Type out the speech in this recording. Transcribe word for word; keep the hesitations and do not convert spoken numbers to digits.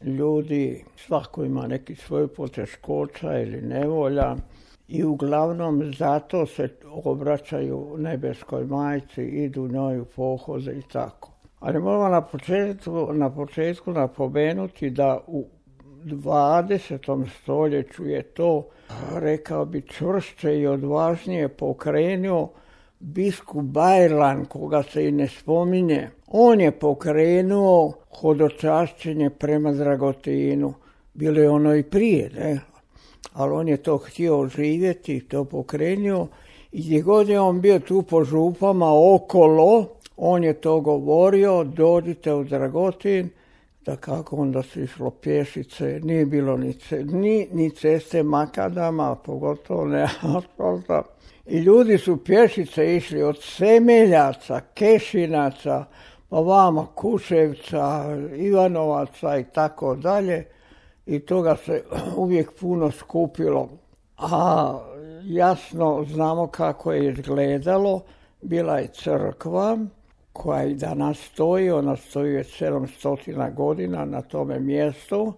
ljudi, svako ima neki svoj poteškoća ili nevolja i uglavnom zato se obraćaju nebeskoj majci, idu njoj u pohode i tako. Ali moramo na početku, na početku napomenuti da u dvadesetom stoljeću je to, rekao bi, čvršće i odvažnije pokrenuo biskup Bajrlan, koga se i ne spominje. On je pokrenuo hodočašćenje prema Dragotinu. Bilo je ono i prije, ne? Ali on je to htio živjeti, to pokrenuo. I gdje god je on bio tu po župama okolo, on je to govorio, dođite u Dragotin, da kako onda se išlo pješice, nije bilo ni, ni, ni ceste makadama, pogotovo ne asfalta. I ljudi su pješice išli od Semeljaca, Kešinaca, pa vama Kuševca, Ivanovaca i tako dalje. I toga se uvijek puno skupilo. A jasno znamo kako je izgledalo. Bila je crkva koja i danas stoji, ona stoji već sedamsto godina na tome mjestu.